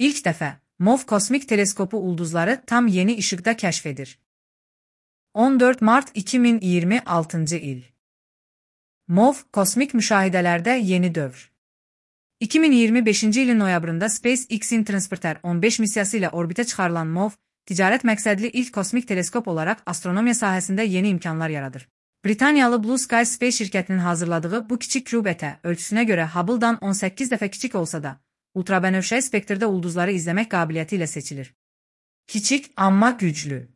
İlk dəfə MOV kosmik teleskopu ulduzları tam yeni işıqda kəşf edir. 14 Mart 2026 il. MOV kosmik müşahidələrdə yeni dövr. 2025-ci ilin noyabrında SpaceX-in Transporter 15 missiyası ilə orbitə çıxarılan MOV, ticarət məqsədli ilk kosmik teleskop olaraq astronomiya sahəsində yeni imkanlar yaradır. Britaniyalı Blue Sky Space şirkətinin hazırladığı bu kiçik kübətə ölçüsünə görə Hubble-dan 18 dəfə kiçik olsa da, ultrabənövşəyi spektrdə ulduzları izləmək qabiliyyəti ilə seçilir. Kiçik, amma güclü.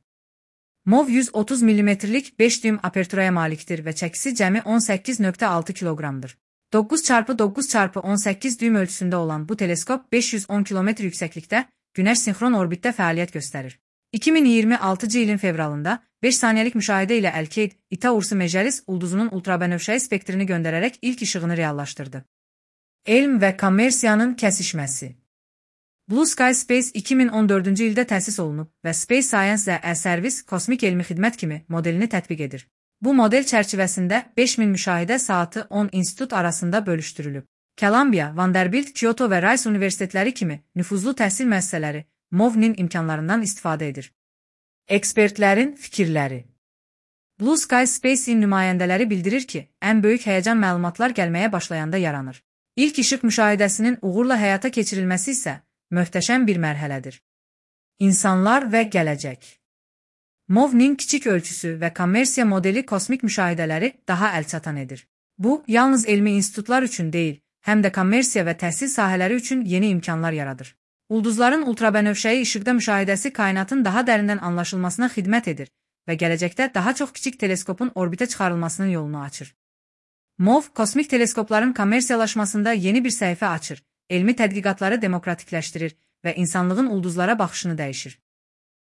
MOV 130 mm-lik 5 düym aperturaya malikdir və çəkisi cəmi 18,6 kiloqramdır. 9x9x18 düym ölçüsündə olan bu teleskop 510 km yüksəklikdə Günəş sinxron orbitdə fəaliyyət göstərir. 2026-cı ilin fevralında 5 saniyəlik müşahidə ilə Alkaid Ita Ursi Majoris ulduzunun ultrabənövşəyi spektrini göndərərək ilk işığını reallaşdırdı. Elm və kommersiyanın kəsişməsi. Blue Sky Space 2014-cü ildə təsis olunub və Space Science və e-Service kosmik elmi xidmət kimi modelini tətbiq edir. Bu model çərçivəsində 5000 müşahidə saatı 10 institut arasında bölüşdürülüb. Columbia, Vanderbilt, Kyoto və Rice universitetləri kimi nüfuzlu təhsil müəssisələri MOV-nin imkanlarından istifadə edir. Ekspertlərin fikirləri. Blue Sky Space-in nümayəndələri bildirir ki, ən böyük həyəcan məlumatlar gəlməyə başlayanda yaranır. İlk işıq müşahidəsinin uğurla həyata keçirilməsi isə möhtəşəm bir mərhələdir. İnsanlar və gələcək. MOV-nin kiçik ölçüsü və kommersiya modeli kosmik müşahidələri daha əlçatan edir. Bu, yalnız elmi institutlar üçün deyil, həm də kommersiya və təhsil sahələri üçün yeni imkanlar yaradır. Ulduzların ultrabənövşəyi işıqda müşahidəsi kainatın daha dərindən anlaşılmasına xidmət edir və gələcəkdə daha çox kiçik teleskopun orbitə çıxarılmasının yolunu açır. MOV, kosmik teleskopların kommersiyalaşmasında yeni bir səhifə açır, elmi tədqiqatları demokratikləşdirir və insanlığın ulduzlara baxışını dəyişir.